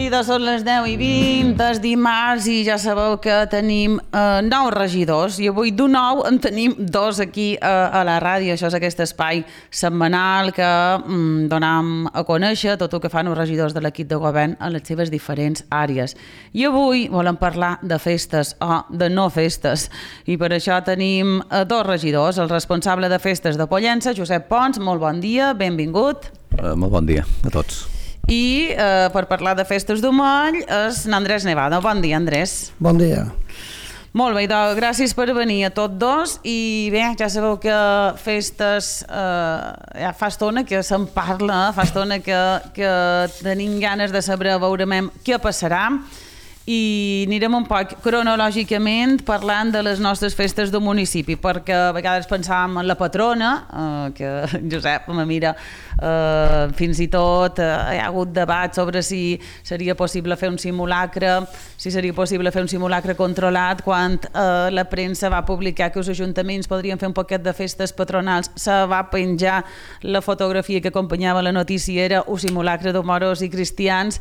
seguida són les 10:20, és dimarts i ja sabeu que tenim 9 regidors i avui d'un nou en tenim 2 aquí a la ràdio. Això és aquest espai setmanal que donem a conèixer tot el que fan els regidors de l'equip de govern a les seves diferents àrees. I avui volem parlar de festes o de no festes i per això tenim 2 regidors, el responsable de festes de Pollença, Josep Pons, molt bon dia, benvingut. Molt bon dia a tots. I per parlar de festes d'Omell és Andrés Nevado. Bon dia, Andrés. Bon dia. Molt bé, doncs gràcies per venir a tots dos i bé, ja sabeu que festes ja fa estona que se'n parla, fa estona que tenim ganes de saber, veurem què passarà i anirem un poc cronològicament parlant de les nostres festes del municipi, perquè a vegades pensàvem en la patrona, que Josep me mira, fins i tot hi ha hagut debat sobre si seria possible fer un simulacre, si seria possible fer un simulacre controlat, quan la premsa va publicar que els ajuntaments podrien fer un poquet de festes patronals, se va penjar la fotografia que acompanyava la notícia, era un simulacre d'homoros i cristians.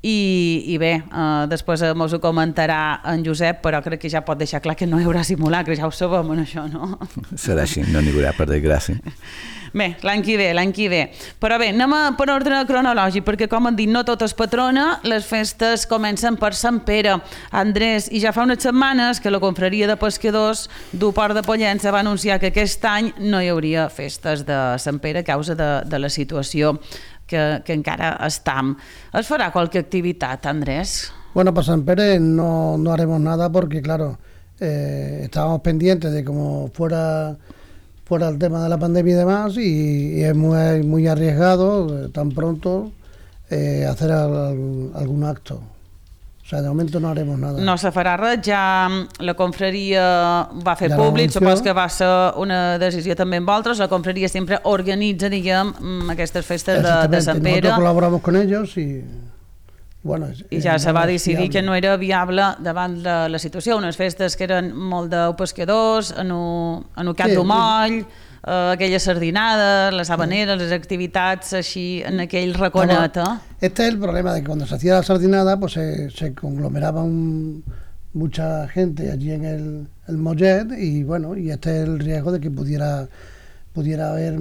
I bé, després mos ho comentarà en Josep, però crec que ja pot deixar clar que no hi haurà simulacre, ja ho sabem en això, no? Serà així, no n'hi haurà, per desgràcia. Bé, l'any que ve. Però bé, anem per ordre cronològic, perquè com han dit, no tot és patrona, les festes comencen per Sant Pere. Andrés, i ja fa unes setmanes que la confraria de pescadors du Port de Pollença va anunciar que aquest any no hi hauria festes de Sant Pere a causa de la situació que encara estam. ¿Es farà qualque actividad, Andrés? Bueno, para San Pérez no haremos nada porque, claro, estábamos pendientes de cómo fuera el tema de la pandemia y demás, y es muy arriesgado tan pronto hacer algún acto. O sea, de momento no haremos nada. No se farà res, ja la confraria va fer públic, supos que va ser una decisió també amb vosaltres, la confraria sempre organitza, diguem, aquestes festes de Sant Pere. Nosotros colaboramos con ellos y... Bueno, i ja se va decidir que no era viable davant de la situació, unes festes que eren molt de pescadors, en el Cap d'Omell, aquelles sardinades, les habaneres, les activitats així en aquell raconet. Este es el problema, de que cuando se hacía la sardinada pues se conglomeraba mucha gente allí en el Mollet y bueno, y este es el riesgo de que pudiera haber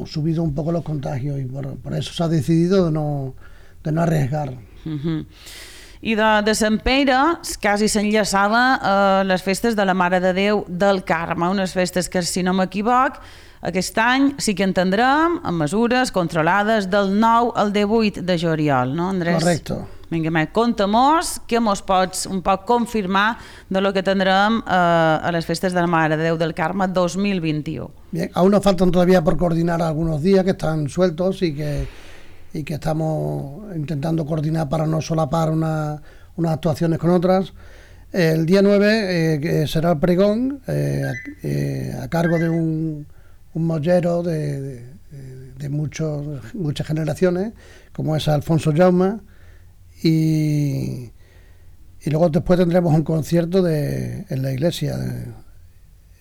subido un poco los contagios y por eso se ha decidido de no arriesgar. I de Sant Pere quasi s'enllaçava les festes de la Mare de Déu del Carme, unes festes que, si no m'equivoc, aquest any sí que entendrem amb mesures controlades del 9 al 18 de juliol, no, Andrés? Correcto. Vinga, conta-mos què mos pots un poc confirmar de lo que tindrem a les festes de la Mare de Déu del Carme 2021. Bien, aún nos faltan todavía por coordinar algunos días que están sueltos y que estamos intentando coordinar para no solapar unas actuaciones con otras. El día 9 será el pregón a cargo de un mollero de muchas generaciones, como es Alfonso Jaume, y luego después tendremos un concierto en la iglesia.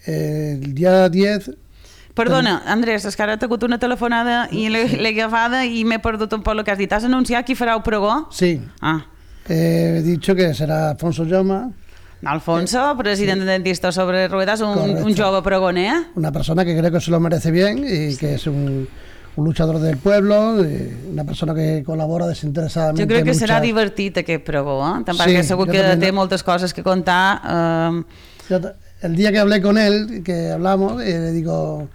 El día 10... Perdona, Andrés, és que ara he tingut una telefonada i l'he agafada i m'he perdut un poc el que has dit. Has anunciat qui farà el pregó? Sí. He dicho que será Alfonso Jaume. Alfonso, presidente dentista sobre ruedas, un jove pregoner. Una persona que creo que se lo merece bien y que es un luchador del pueblo, una persona que colabora desinteresadamente. Jo crec que serà divertit aquest pregó, perquè segur que té moltes coses que contar. El día que hablé con él, que hablamos, le digo,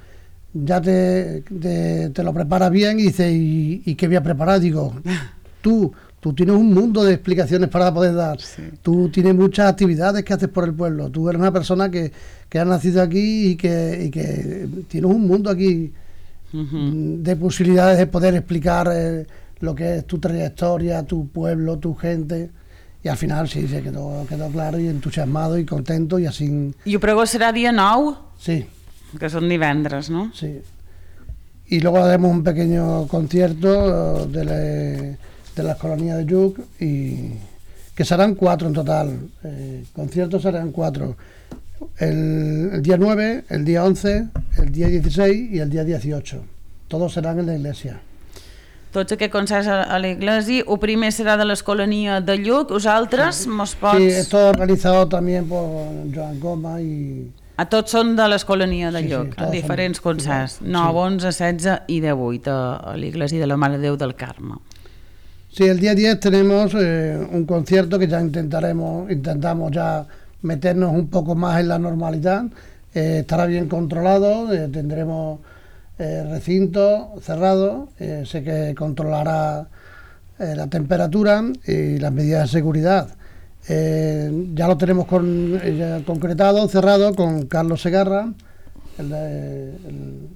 ya te lo preparas bien, y dice, ¿y qué voy a preparar? Digo, tú tienes un mundo de explicaciones para poder dar, sí. Tú tienes muchas actividades que haces por el pueblo, tú eres una persona que ha nacido aquí y que tienes un mundo aquí de posibilidades de poder explicar lo que es tu trayectoria, tu pueblo, tu gente. Y al final sí, se quedó claro y entusiasmado y contento y así... I el pregó serà dia 9? Sí. Que són divendres, ¿no? Sí. Y luego haremos un pequeño concierto de las colonias de Lluc, y que serán 4 en total. Conciertos serán 4. El día 9, el día 11, el día 16 y el día 18. Todos serán en la iglesia. tots aquests concerts a l'església. El primer serà de l'Escolania de Lluc. Vosaltres mos pots... Sí, esto organizado también por Joan Goma y... Tots són de l'Escolania de Sí, Lluc, todos diferents son- concerts, sí. 9, 11, 16 i 18 a l'església de la Mare de Déu del Carme. Sí, el día 10 tenemos un concierto que ya intentamos ya meternos un poco más en la normalidad. Estará bien controlado, tendremos recinto cerrado, sé que controlará la temperatura y las medidas de seguridad. Ya lo tenemos ya concretado, cerrado con Carlos Segarra, el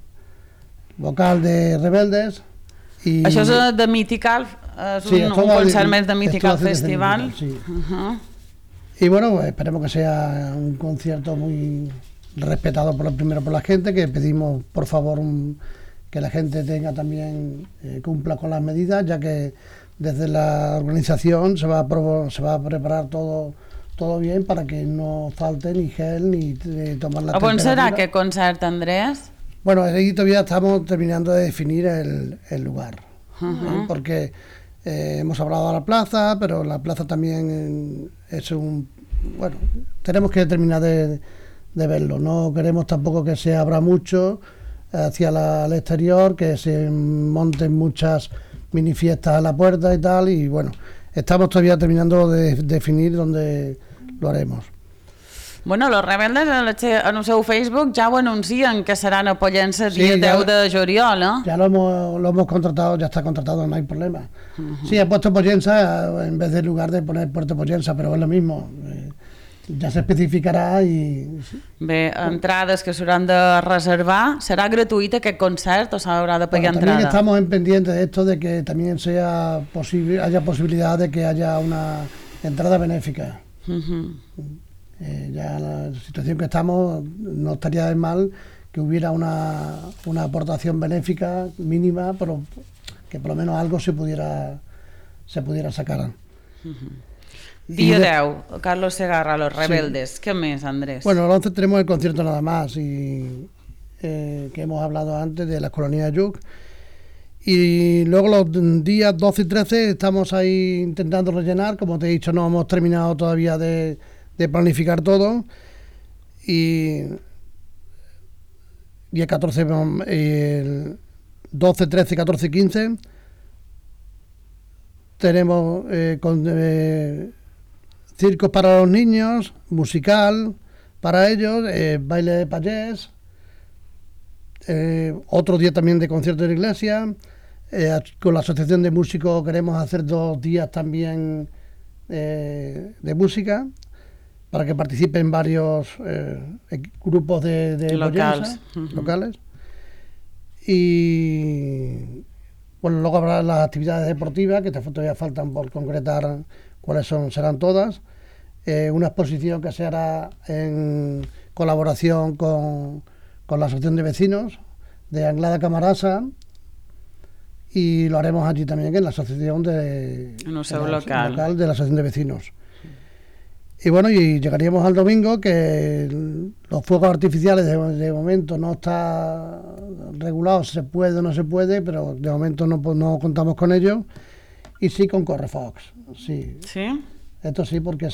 vocal de Rebeldes. Y, Això és de Mythical, és Sí, un esto va concert de- més de Mythical esto va a ser de Festival. Mythical, sí. Uh-huh. Y bueno, pues esperemos que sea un concierto muy respetado primero por la gente, que pedimos por favor que la gente tenga también, cumpla con las medidas, ya que desde la organización se va a preparar todo bien para que no falte ni gel ni tomar la A on serà temperatura. aquest concert, Andrés? Bueno, ahí todavía estamos terminando de definir el lugar, porque hemos hablado de la plaza, pero la plaza también es bueno, tenemos que terminar de verlo. No queremos tampoco que se abra mucho hacia el exterior, que se monten muchas mini fiestas a la puerta y tal, y bueno, estamos todavía terminando de definir dónde lo haremos. Bueno, los Rebeldes en el seu Facebook ja ho anuncien que seran a Pollença Sí, dia ja- 10 de juliol, eh? Ya lo hemos contratado, ya está contratado, no hay problema. Sí, he puesto Pollença en vez del lugar de poner Puerto Pollença, pero es lo mismo. Ya se especificará y... Bé, entrades que s'hauran de reservar. Serà gratuït aquest concert o s'haurà de pagar Bueno, también entrada? estamos en pendiente de esto, de que también haya posibilidad de que haya una entrada benéfica. Ya la situación que estamos, no estaría de mal que hubiera una aportación benéfica mínima, pero que por lo menos algo se pudiera sacar. Dia I de- 10, Carlos Segarra, Los Rebeldes. Què més, Andrés? Bueno, el 11 tenemos el concierto nada más, y que hemos hablado antes de las colonias de Lluc. Y luego los días 12 y 13 estamos ahí intentando rellenar. Como te he dicho, no hemos terminado todavía de planificar todo. Y el 14, el 12, 13, 14 y 15 tenemos circos para los niños, musical para ellos, baile de payés, otro día también de concierto de la iglesia. Con la asociación de músicos queremos hacer 2 días también de música, para que participen varios grupos de Locales. Pollença, locales. Y bueno, luego habrá las actividades deportivas, que todavía faltan por concretar cuáles serán todas. Una exposición que se hará en colaboración con la Asociación de Vecinos de Anglada Camarasa, y lo haremos allí también en la asociación En el seu en la- local. de la Asociación de Vecinos. Y bueno, y llegaríamos al domingo, que los fuegos artificiales de momento no está regulado, se puede o no se puede, pero de momento no contamos con ello. Y sí con Correfox, sí. Sí? Esto sí, porque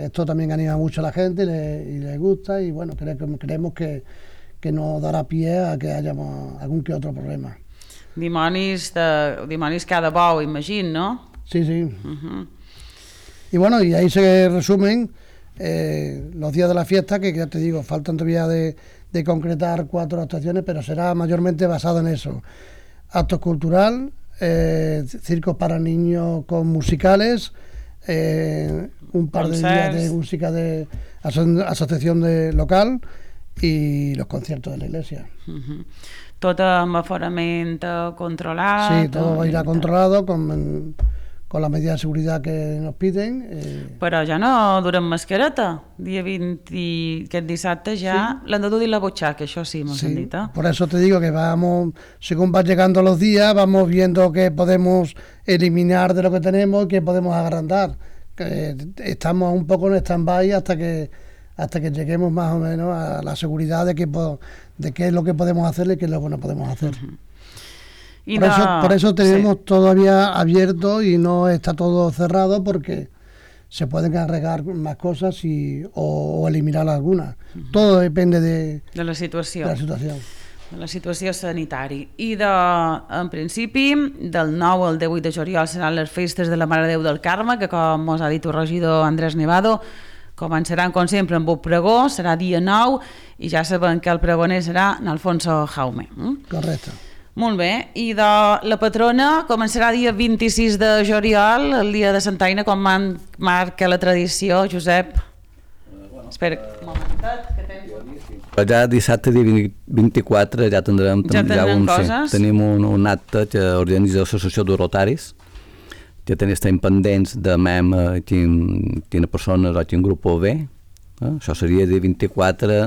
esto también anima mucho a la gente y le gusta, y bueno, creemos que no dará pie a que haya algún que otro problema. Dimonis cada bou, imagino, no? Sí, sí. Y bueno, y ahí se resumen los días de la fiesta, que ya te digo, faltan todavía de concretar 4 actuaciones, pero será mayormente basado en eso. Actos cultural, circos para niños con musicales, un par de días de música de asociación local, y los conciertos de la iglesia. Tot amb aforament controlat. Sí, todo irá controlado con la medida de seguridad que nos piden. Però ja no durem mascareta. Dia 20 i aquest dissabte ja l'han de dur la butxaca, això sí, m'ho Sí, han dit. por eso te digo que vamos, según van llegando los días, vamos viendo qué podemos eliminar de lo que tenemos y qué podemos agrandar. Que estamos un poco en stand-by hasta que lleguemos más o menos a la seguridad de qué es lo que podemos hacer y qué es lo que no podemos hacer. Por eso tenemos todavía abierto y no está todo cerrado, porque se pueden agregar más cosas o eliminar algunas. Todo depende de la situació. De la situació sanitària. I en principi, del 9 al 18 de juliol seran les festes de la Mare de Déu del Carme, que com us ha dit el regidor Andrés Nevado, començaran com sempre amb un pregó, serà dia 9, i ja sabem que el pregoner serà Alfonso Jaume. Correcte. Molt bé, i de la patrona començarà dia 26 de juliol, el dia de Santa Aina, com marca la tradició, Josep. Espera un momentet, que tens... Ja dissabte, dia 24, ja tindrem coses. Tenim un acte que organitza l'Associació de Rotaris, que estem pendents de quina persona o quin grup ho ve. Això seria dia 24,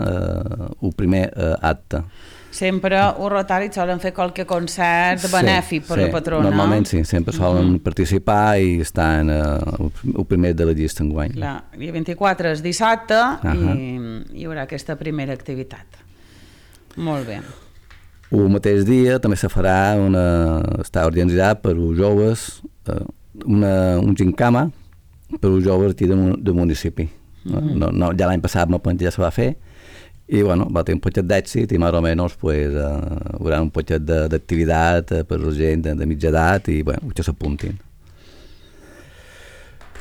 el primer acte. Sempre els rotaris solen fer qualque concert benèfic per la patrona. Normalment sí, sempre solen participar i estan el primer de la llista enguany. Clar, dia 24 és dissabte i hi haurà aquesta primera activitat. Molt bé. El mateix dia també se farà està organitzat per els joves, un gincama per als joves aquí del municipi. Ja l'any passat ja se va fer, i bueno, va tenir un poquet d'èxit i més o menys hi haurà un poquet d'activitat per la gent de mitja edat i que s'apuntin.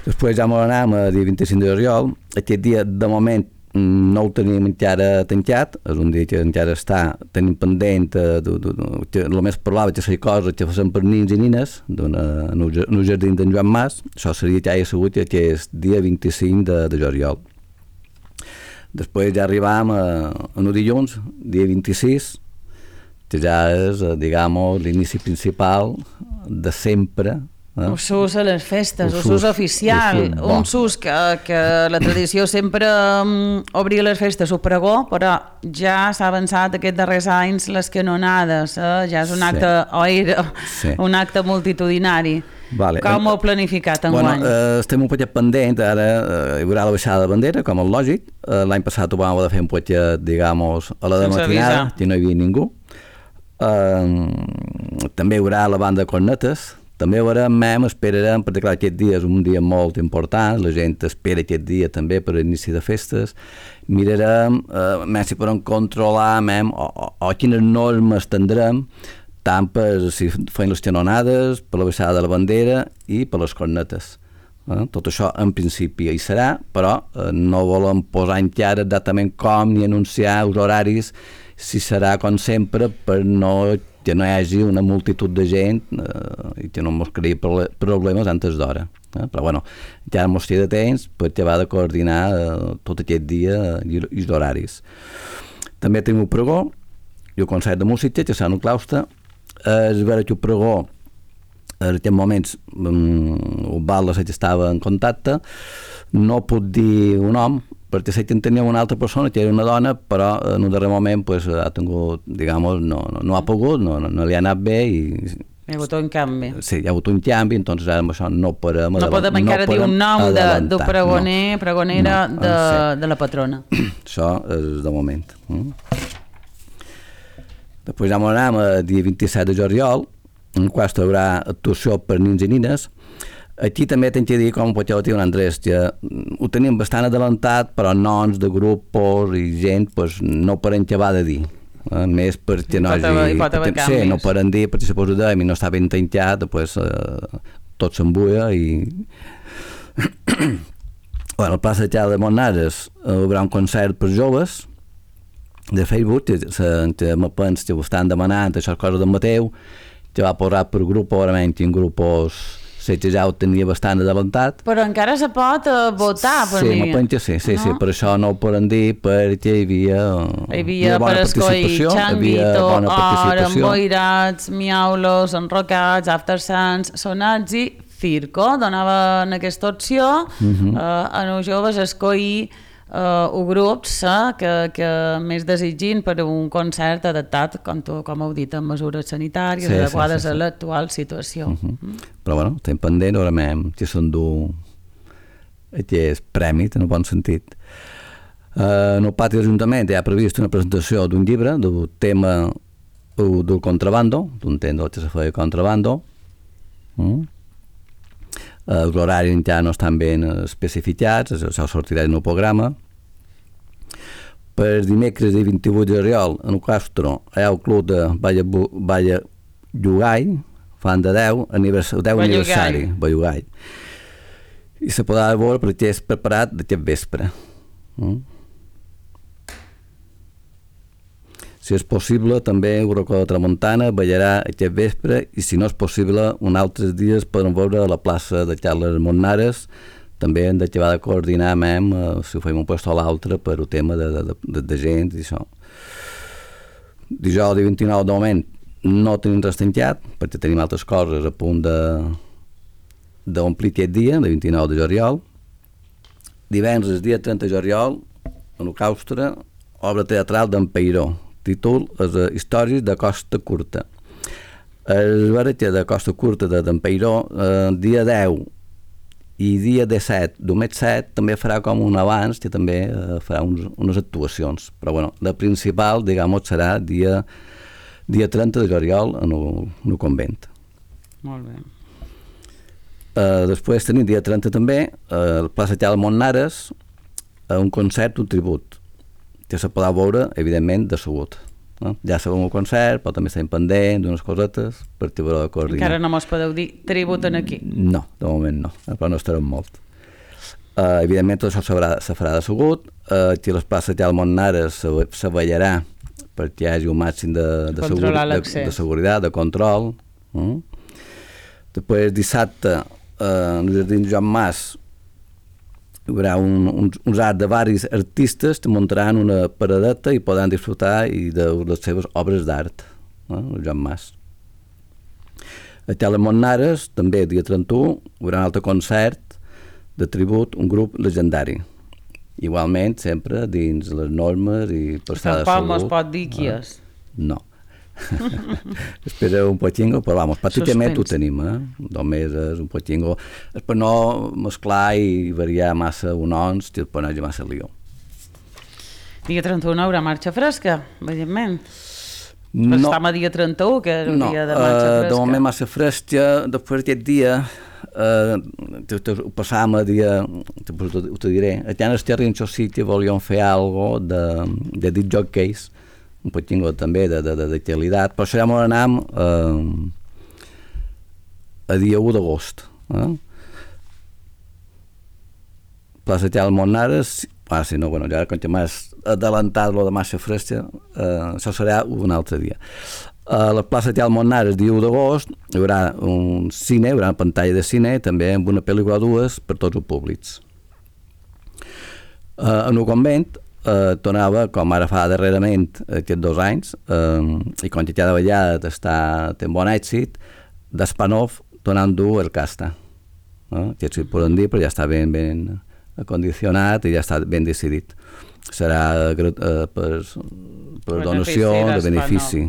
Després ja anem a dia 25 de juliol. Aquest dia de moment no ho tenim encara tancat, és un dia que encara tenim pendent el més probable que sigui coses que facin per nins i nines en el jardí d'en Joan Mas. Això seria que hi ha sigut aquest dia 25 de juliol. Després ja arribam a un dilluns, dia 26, que ja és, l'inici principal de sempre. Un sus a les festes, un sus oficial, un sus que la tradició sempre obria les festes, el pregó, però ja s'ha avançat aquests darrers anys les canonades, ja és un acte, o era un acte multitudinari. Com ho heu planificat enguany? Estem un poquet pendent, ara hi haurà la baixada de bandera, com és lògic. L'any passat ho vam haver de fer un poquet, a la de matinada, que no hi havia ningú. També hi haurà la banda de cornetes. També esperarem, perquè clar, aquest dia és un dia molt important, la gent espera aquest dia també per l'inici de festes. Mirarem si podem controlar o quines normes tindrem, tant per si feien les canonades, per la baixada de la bandera i per les cornetes. Tot això en principi hi serà, però no volem posar encara exactament com ni anunciar els horaris, si serà com sempre per que no hi hagi una multitud de gent i que no ens creï problemes antes d'hora. Però ja ens queda temps perquè va de coordinar tot aquest dia i els horaris. També tenim el pregó i el concert de música que serà en el claustre. És vera que el pregó en aquests moments el Val que estava en contacte, no puc dir un nom perquè sé que en tenia una altra persona que era una dona, però en un darrer moment ha tingut, no ha pogut, no li ha anat bé i hi ha hagut un canvi. Sí, hi ha hagut un canvi, doncs ara amb això no podem encara dir un nom del pregonera de la patrona. Això és de moment. Després ja anem a dia 27 de juliol, en qual hi haurà actuació per nins i nines. Aquí també tinc que dir, com pot dir un Andrés, que ho tenim bastant adelantat, però noms de grups i gent no poden acabar de dir. Més perquè no hagi... Sí, no poden dir, perquè si poso i no està ben tancat, tot s'embuia i... Al Plaça de Montnares hi haurà un concert per joves de Facebook, que me penso que ho estan demanant, això coses d'en Mateu, que va posar per grup, segurament, en grupos... que ja ho tenia bastant adelantat. Però encara se pot votar, per mi. Sí, me penso que sí, per això no ho poden dir, perquè hi havia bona participació, hi havia bona participació. Emboirats, miaulos, enrocats, after sants, sonats i circo, donaven aquesta opció a els joves a escollir grups que més desitgin per un concert adaptat, com heu dit, amb mesures sanitàries adequades a l'actual situació. Però estem pendent, ara que s'endú aquest premi, en el bon sentit. En el pati de l'Ajuntament hi ha previst una presentació d'un llibre del tema del contrabando, d'un tendo que se feia contrabando. Els horaris ja no estan ben especificats, això sortirà en el programa. Per dimecres i 28 de juliol, en el Castro, hi ha el club de Balla Llugai, fan de 10 aniversari, Bellugai. I se podrà veure perquè és preparat d'aquest vespre. Si és possible, també Eurocó de Tramuntana ballarà aquest vespre i si no és possible, uns altres dies poden veure a la plaça de Carles Monnares. També hem d'acabar de coordinar si ho fem un lloc o l'altre per el tema de gent i això. Dijous 29 de moment no tenim res tancat perquè tenim altres coses a punt d'omplir aquest dia, de 29 de juliol. Divendres, dia 30 de juliol, en el Claustre, obra teatral d'en Peiró. Títol és Històries de Costa Curta. El veretge de Costa Curta d'en Peiró, dia 10 i dia 17 del mes 7 també farà com un abans que també farà unes actuacions, però bueno, la principal, diguem-ho, serà dia 30 de juliol en el convent. Molt bé. Després tenim dia 30 també a la plaça Carles Monnares un concert, un tribut que se podrà veure, evidentment, de sabut. Ja sabem el concert, però també estem pendents d'unes cosetes per tirar de coordinar. Encara no mos podeu dir tributen aquí? No, de moment no, però no estarem molt. Evidentment tot això se farà de sabut, aquí a les places Carles Monnares se ballarà perquè hi hagi un màxim de seguretat, de control. Després dissabte en el jardí Joan Mas hi haurà uns arts de varis artistes que muntaran una paradeta i podran disfrutar de les seves obres d'art, el Joan Mas. A Carles Monnares, també dia 31, hi haurà un altre concert de tribut, un grup legendari. Igualment, sempre dins les normes i per estar de salut. Tampoc mos pot dir qui és. No. Espera un poquinho, però vamos, pràcticament ho tenim, només és un poquinho, és per no mesclar i variar massa unons, que per no hi ha massa lío. Dia 31 haurà marxa fresca, evidentment. No. Estem a dia 31, que és un dia de marxa fresca. De moment massa fresca, després d'aquest dia, ho passàvem a dia, ho te diré, allà en el Terrinxo sí que volíem fer alguna cosa de disc jockeys, un poquinho també d'actualitat, però això ja m'ho anàvem a dia 1 d'agost. Plaça Carles Monnares, si no, bueno, ja com que m'has adelantat lo de massa fresca, això serà un altre dia. A la plaça Carles Monnares, dia 1 d'agost, hi haurà un cine, hi haurà una pantalla de cine, també amb una pel·lícula o dues per tots els públics. En el convent, tornava, com ara fa darrerament aquests 2 anys, i com que cada vegada té un bon èxit, d'Espanov tornant dur el casta. Que si poden dir, però ja està ben acondicionat i ja està ben decidit. Serà per donació de benefici.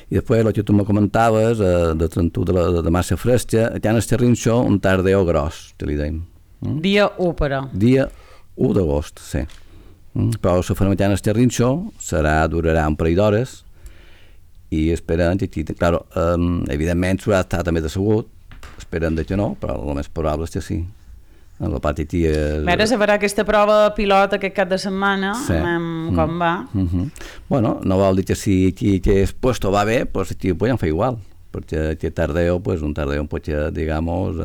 I després, el que tu me comentaves, de 31 de massa fresca, allà en el Terrinxo, un tardeo gros, que li deim. Dia 1, però. Dia 1 d'agost, sí. Però la farem en el Terrinxo, durarà un parell d'hores i esperem que aquí, clar, evidentment s'haurà estat també decebut, esperem que no, però el més probable és que sí. En la part aquí és... Ara se farà aquesta prova pilot aquest cap de setmana, com va. Bueno, no vol dir que si aquí aquest puesto va bé, pues aquí ho podem fer igual, perquè aquest tardeo, pues un tardeo un poquet, digamos,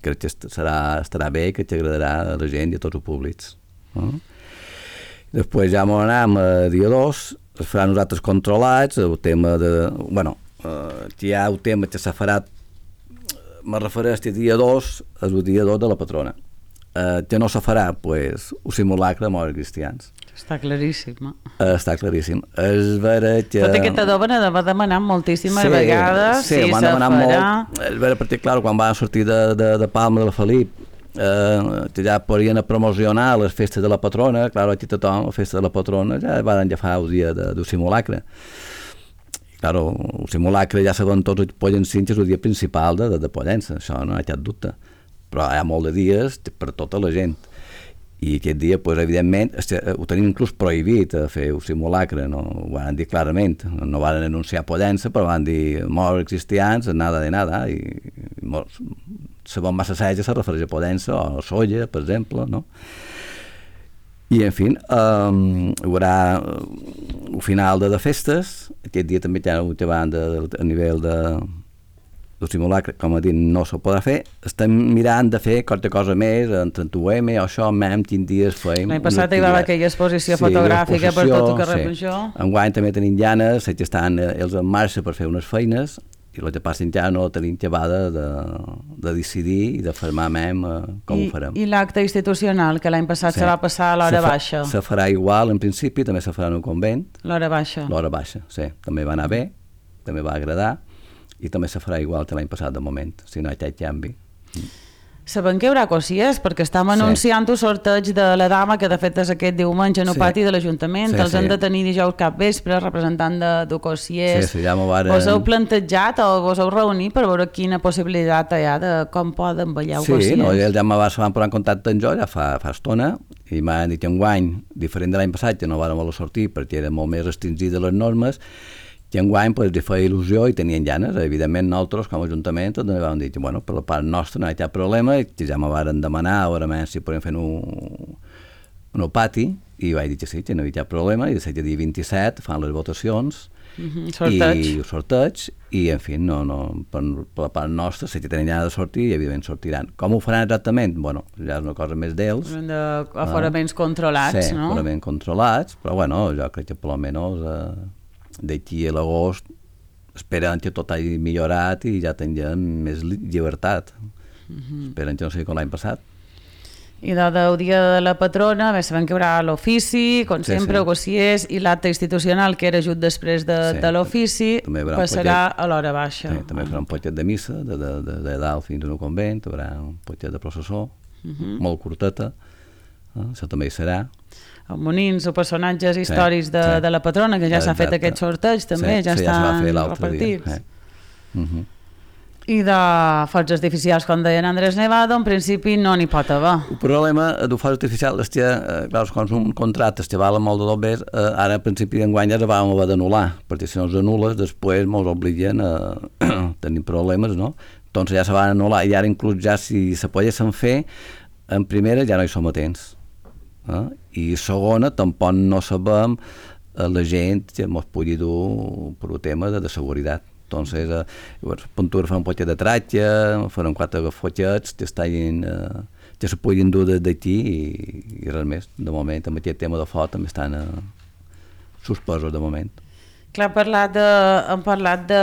crec que estarà bé, que t'agradarà a la gent i a tots els públics. Després ja m'ho anem a dia 2, es faran uns altres controlats, el tema de... Bueno, hi ha el tema que s'ha farà, me refereix que dia 2 és el dia 2 de la patrona. Que no se farà, pues, un simulacre de morts cristians. Està claríssim. Està claríssim. És vera que... Tot aquest adoben va demanar moltíssimes vegades si se farà. Molt. És vera perquè, clar, quan van sortir de Palma de la Felip, que ja podien promocionar les festes de la patrona, clar, aquí tothom, la festa de la patrona, ja van agafar el dia del simulacre. Claro, el simulacre ja saben tots els pollancins, és el dia principal de Pollença, això no hi ha cap dubte. Però hi ha molt de dies per tota la gent. I aquest dia, pues, evidentment, ho tenim inclús prohibit fer un simulacre, no? Ho van dir clarament, no van anunciar Pollença, però van dir morts cristians, nada de nada, i segons massa assaig se refereix a Pollença o a Solla, per exemple, no? I, en fi, hi haurà el final de festes, aquest dia també hi ha una banda a nivell del simulacre, com a dit, no se podrà fer. Estem mirant de fer qualque cosa més, en 31M o això, même quin dies feim. L'any passat hi va haver aquella exposició fotogràfica per tot el carrer Major. Enguany també tenim llanes, sé que estan ells en marxa per fer unes feines, i el que passa encara no tenim acabada de decidir i de formar com ho farem. I l'acte institucional, que l'any passat se va passar a l'hora baixa? Se farà igual, en principi, també se farà en un convent. L'hora baixa? L'hora baixa, sí. També va anar bé, també va agradar, i també se farà igual que l'any passat, de moment, si no hi ha canvi. Sabem que hi haurà cosies, perquè estem anunciant un sorteig de la dama, que de fet és aquest diumenge en el pati de l'Ajuntament. Els han de tenir dijous cap vespre, representant de cosiers. Ja m'ho varen... Vos heu plantejat o vos heu reunit per veure quina possibilitat hi ha de com poden ballar cosiers? Sí, ells ja se van posar en contacte amb jo ja fa estona, i m'han dit que enguany, diferent de l'any passat, que no vàrem voler sortir perquè era molt més restringit de les normes, que enguany li feia il·lusió i tenien ganes. Evidentment, nosaltres, com a Ajuntament, també vam dir que, bueno, per la part nostra no hi ha cap problema, i que ja me varen demanar a veure si podem fer un pati, i vaig dir que sí, que no hi ha cap problema, i de seguida dia 27 fan les votacions, i el sorteig, i, en fi, per la part nostra, si tenen ganes de sortir, i evidentment sortiran. Com ho faran exactament? Bueno, ja és una cosa més d'ells. Aforaments controlats, no? Sí, aforaments controlats, però, bueno, jo crec que per almenys d'aquí a l'agost esperen que tot hagi millorat i ja tinguem més llibertat. Esperen que no sigui com l'any passat. I del dia de la patrona, sabem que hi haurà l'ofici, com sempre, gossiers, i l'acte institucional, que era just després de l'ofici, passarà a l'hora baixa. També farà un poquet de missa, de dalt fins al convent, hi haurà un poquet de processó, molt curteta, això també hi serà. Els monins o personatges històrics de la patrona, que ja s'ha fet aquest sorteig també, ja estan repartits. I de focs artificials, com deien Andrés Nevado, en principi no n'hi pot haver. El problema de focs artificials és que, clar, quan són contractes que valen molt de dobbers, ara, en principi d'enguany ja vam haver d'anul·lar, perquè si no els anules, després ens obliguen a tenir problemes, no? Doncs ja se van anul·lar, i ara inclús ja si se poguessin fer, en primera ja no hi som a temps. I segona, tampoc no sabem la gent que ens pugui dur per un tema de seguretat. Entonces, Puntura fa un poquet de tratge, faran 4 fotxets que se puguin dur d'aquí i res més. De moment, amb aquest tema de foc també estan suspesos de moment. Clar, hem parlat de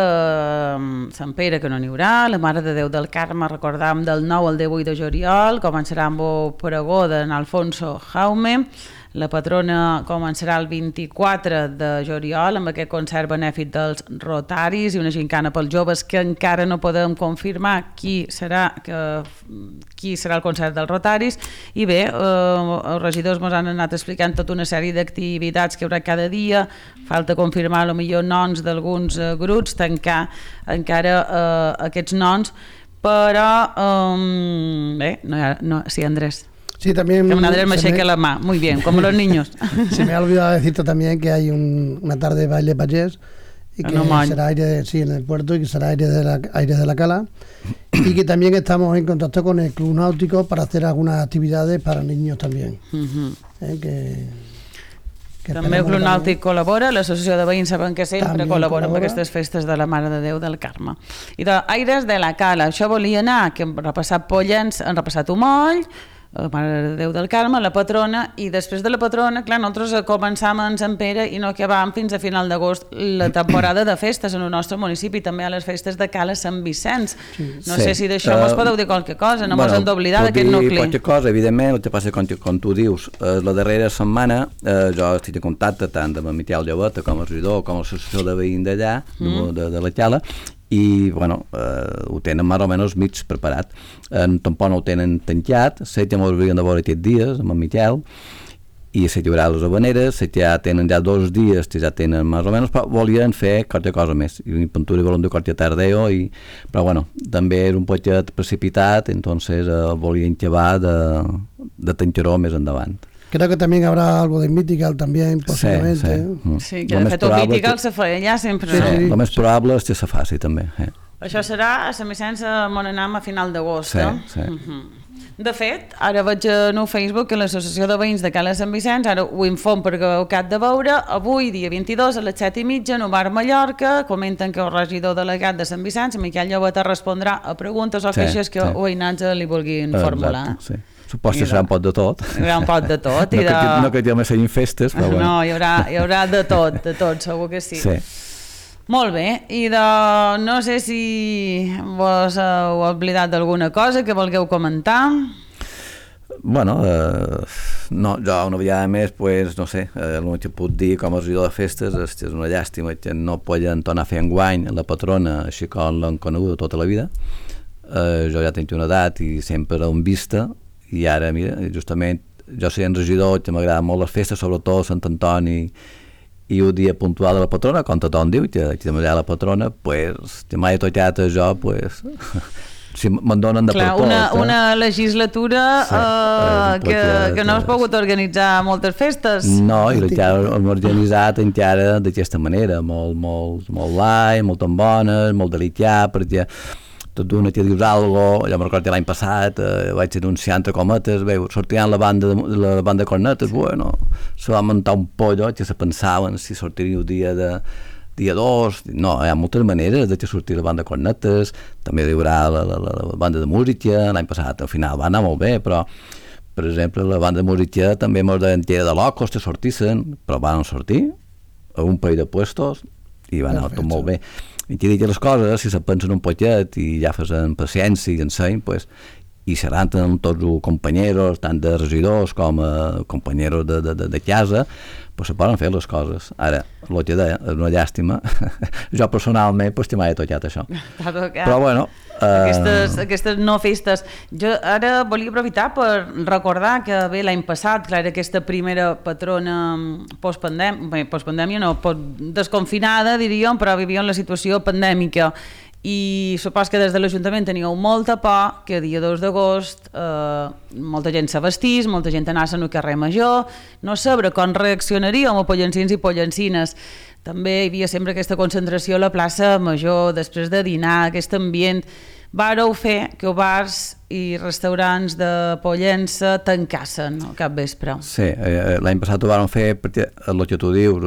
Sant Pere, que no n'hi haurà, la Mare de Déu del Carme, recordàvem, del 9 al 18 de juliol, començarà amb el pregó d'en Alfonso Jaume, la patrona començarà el 24 de juliol amb aquest concert benèfic dels Rotaris i una gincana pels joves, que encara no podem confirmar qui serà el concert dels Rotaris. I bé, els regidors ens han anat explicant tota una sèrie d'activitats que hi haurà cada dia, falta confirmar potser noms d'alguns grups, tancar encara aquests noms, però bé, sí, Andrés. Sí, también... Que Andrés me cheque la mano, muy bien, como los niños. Se me ha olvidado decirte también que hay una tarde de baile payés y que será aire, sí, en el puerto, y que será aire de la Cala, y que también estamos en contacto con el Club Náutico para hacer algunas actividades para niños también. També el Club Nàutic col·labora, l'Associació de Veïns sabem que sempre col·labora amb aquestes festes de la Mare de Déu del Carme. I d'Aires de la Cala, això volia anar, que hem repassat Pollença, hem repassat Umoll, la Mare de Déu del Carme, la patrona, i després de la patrona, clar, nosaltres començàvem en Sant Pere i no acabàvem fins a final d'agost la temporada de festes en el nostre municipi, també a les festes de Cala Sant Vicenç. No sé si d'això mos podeu dir qualque cosa, no mos hem d'oblidar d'aquest nucli. Qualque cosa, evidentment, el que passa com tu dius, la darrera setmana jo estic en contacte tant amb el Miquel Lleveta com el regidor, com l'associació de veïns d'allà, de la Cala, i bueno, ho tenen més o menys mig preparat. Tampoc no ho tenen tancat, sé que m'ho haurien de veure aquests dies amb en Miquel, i sé que hi haurà les habaneres, sé que ja tenen 2 dies que ja tenen més o menys, però volien fer qualque cosa més, i en Pintura volen dir qualque tardeo, però bueno, també és un poquet precipitat, entonces volien acabar de Tencheró més endavant. Creo que también habrá algo de Mythical también, posiblemente. Sí, que de fet el Mythical se feia allà sempre. Sí. El més probable és que se faci també. Això serà a Sant Vicenç a Monenam a final d'agost. Sí. De fet, ara veig en el Facebook que l'Associació de Veïns de Cala Sant Vicenç, ara ho inform perquè ho cap de veure, avui, dia 22, a les 7:30, en el bar Mallorca, comenten que el regidor delegat de Sant Vicenç, Miquel Llobeta, respondrà a preguntes o queixes que veïnats li vulguin formular. Sí. Suposo que serà un pot de tot. Hi haurà un pot de tot. No que només siguin festes, però bueno. No, hi haurà de tot, segur que sí. Molt bé, i no sé si vos heu oblidat d'alguna cosa que vulgueu comentar. Bueno, no, jo una vegada més, pues, no sé, el que puc dir com a regidor de festes és una llàstima que no poden tornar a fer enguany la patrona així com l'han conegut tota la vida. Jo ja tinc una edat i sempre l'hem vista, i ara, mira, justament, jo sent regidor, que m'agrada molt les festes, sobretot Sant Antoni i un dia puntual de la patrona, com tothom diu, que m'agrada la patrona, pues, que m'ha tocat a jo, pues, si me'n donen de clar, per tot. Una legislatura que no has pogut organitzar moltes festes. No, i hem organitzat encara d'aquesta manera, molt light, molt tan bones, molt delicat, perquè tot d'una que dius algo, jo me'n recordo l'any passat vaig anunciar entre cometes, sortiran la banda de cornetes, bueno, se va muntar un pollo que se pensaven si sortiria el dia 2, no, hi ha moltes maneres de que sortir la banda de cornetes, també hi haurà la banda de música, l'any passat al final va anar molt bé, però per exemple la banda de música també ens deien que era de locos que sortissin, però van sortir a un parell de puestos i va anar tot molt bé. I que dic les coses, si se pensen un poquet i ja fas en paciència i enseny, pues, i seran tots els companyeros, tant de regidors com companyeros de casa, pues se poden fer les coses. Ara, el que deia, és una llàstima. Jo personalment, pues, m'ha tocat això. Però bueno... Aquestes no festes. Jo ara volia aprofitar per recordar que bé, l'any passat, clar, aquesta primera patrona postpandèmia, no, desconfinada, diríem, però vivíem la situació pandèmica. I supos que des de l'Ajuntament teníeu molta por que dia 2 d'agost molta gent se vestís, molta gent anés al carrer Major, no saber com reaccionaríem a pollancins i pollancines. També hi havia sempre aquesta concentració a la plaça Major, després de dinar, aquest ambient. Vàreu fer que els bars i restaurants de Pollença tancassen al capvespre. Sí, l'any passat ho vàrem fer perquè el que tu dius,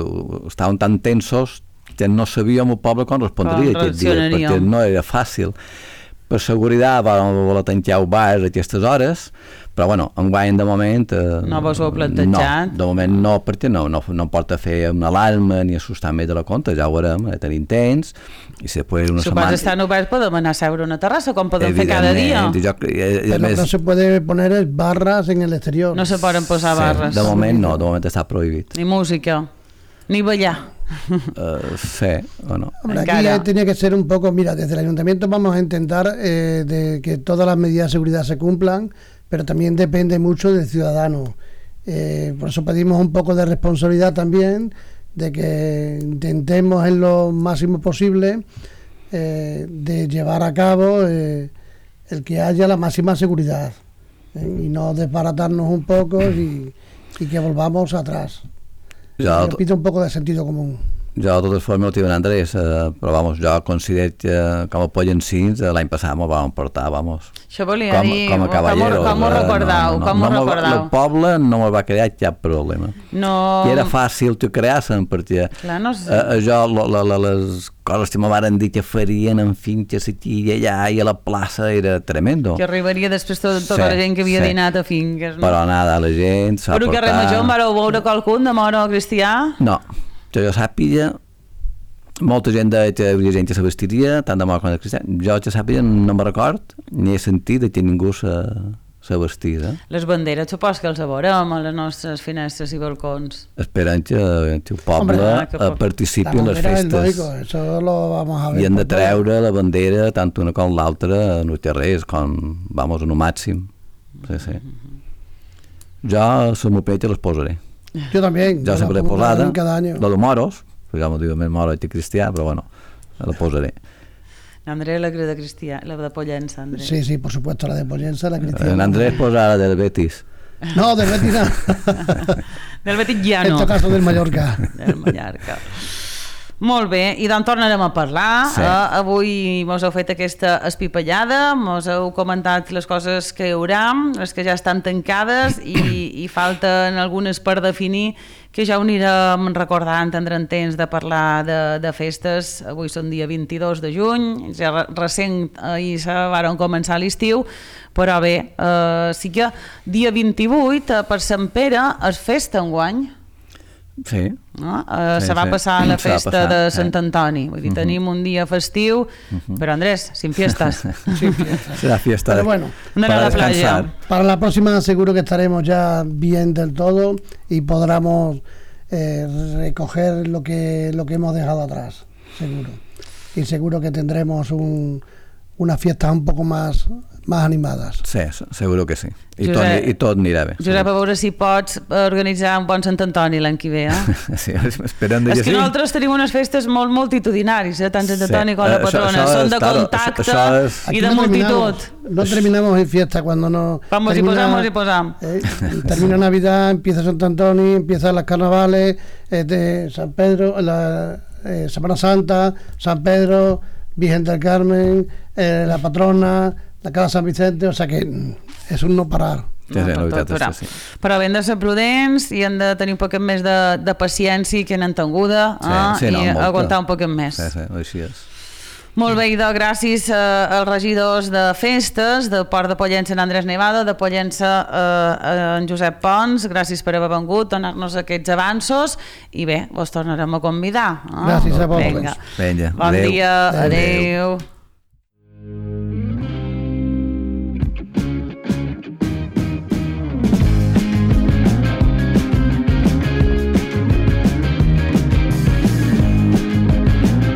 estaven tan tensos que no sabíem el poble com respondria aquest dia, perquè no era fàcil. Per seguretat vam voler tancar el bar a aquestes hores, però bueno, enguany de moment... No vos ho heu plantejat? No, de moment no, perquè no porta a fer una alarma ni assustar més de la compte, ja ho veurem, tenim temps, i si després una setmana... Supos estan oberts, podem anar a seure a una terrassa, com podem fer cada dia? Però no se puede poner barras en el exterior. No se poden posar barres. De moment no, de moment està prohibit. Ni música, ni ballar. Sí, bueno. Hombre, aquí tiene que ser un poco, mira, desde el ayuntamiento vamos a intentar de que todas las medidas de seguridad se cumplan, pero también depende mucho del ciudadano. Por eso pedimos un poco de responsabilidad también, de que intentemos en lo máximo posible de llevar a cabo el que haya la máxima seguridad y no desbaratarnos un poco y que volvamos atrás. Yo pido un poco de sentido común. Jo, de totes formes, el tio Andrés, però vamos, jo considero que com a pollancins l'any passat m'ho vam portar, vamos. Això volia dir, com a caballeros. Com ho recordau? El poble no m'ho va crear cap problema. No. Que era fàcil que creassen, perquè jo, les coses que me van dir que farien en finques aquí i allà i a la plaça era tremendo. Que arribaria després tota la gent que havia dinat a finques. Però nada, la gent s'ha portat... Però que Remajor en vareu veure qualcun de moro cristià? No. Que jo sàpiga, molta gent deia que hi havia gent que se vestiria, tant de mort com de cristià. Jo que sàpiga no me'n record, ni he sentit que ningú se vestís. Les banderes, supos que els veurem a les nostres finestres i balcons. Esperant que el poble participi en les festes. Lógico, eso lo vamos a ver. I hem de treure la bandera, tant una com l'altra, en els carrers, com, vamos, en un màxim. Sí. Jo, si m'ho peix, les posaré. Yo también. Yo siempre he posada, cada año. Lo de moros, digamos, digo, més moro que cristià, però bueno, la posaré. Andrés la de Pollença, Andrés. Sí, por supuesto, la de Pollença, la cristiana. Andrés posa la del Betis. No, del Betis no. Del Betis ja En no. este caso del Mallorca. Del Mallorca. Molt bé, i doncs tornarem a parlar. Sí. Avui mos heu fet aquesta espipallada, mos heu comentat les coses que hi haurà, les que ja estan tancades i falten algunes per definir, que ja ho anirem recordant, tindrem temps de parlar de festes. Avui són dia 22 de juny, ja recent ahir se varen començar l'estiu, però bé, sí que dia 28 per Sant Pere és festa enguany. Sí. No? Sí, se va sí. passar la Se va festa passar, de sí. Sant Antoni, vull dir, tenim un dia festiu, però Andrés, sin fiestas. Será fiesta Pero bueno, Andar a para la playa. descansar. Para la próxima seguro que estaremos ya bien del todo y podremos recoger lo que hemos dejado atrás, seguro. Y seguro que tendremos unas fiestas un poco más animadas. Sí, seguro que sí. I Josep, tot anirà bé. Josep, a veure si pots organitzar un bon Sant Antoni l'any que ve, Sí, esperem És que que sí. nosaltres tenim unes festes molt multitudinaris, tant Sant Antoni com la Això patrona. Són de claro, contacte això és... i de multitud. No terminamos en fiesta cuando no... Vamos y posamos. Termina Navidad, empieza Sant Antoni, empiezan las carnavales, de San Pedro, Semana Santa, San Pedro, Virgen del Carmen, la patrona, la Casa San Vicente, o sea que és un no parar. Sí, la veritat és que sí. Però hem de ser prudents i hem de tenir un poquet més de paciència i que n'entenguda Sí, no, i molta. aguantar un poquet més. Sí, així és. Molt bé, idò, gràcies als regidors de festes, de Port de Pollença en Andrés Nevado, de Pollença en Josep Pons, gràcies per haver vengut, donar-nos aquests avanços i bé, vos tornarem a convidar. Gràcies a vosaltres. Vinga. Vinga, Bon adéu. dia, adéu.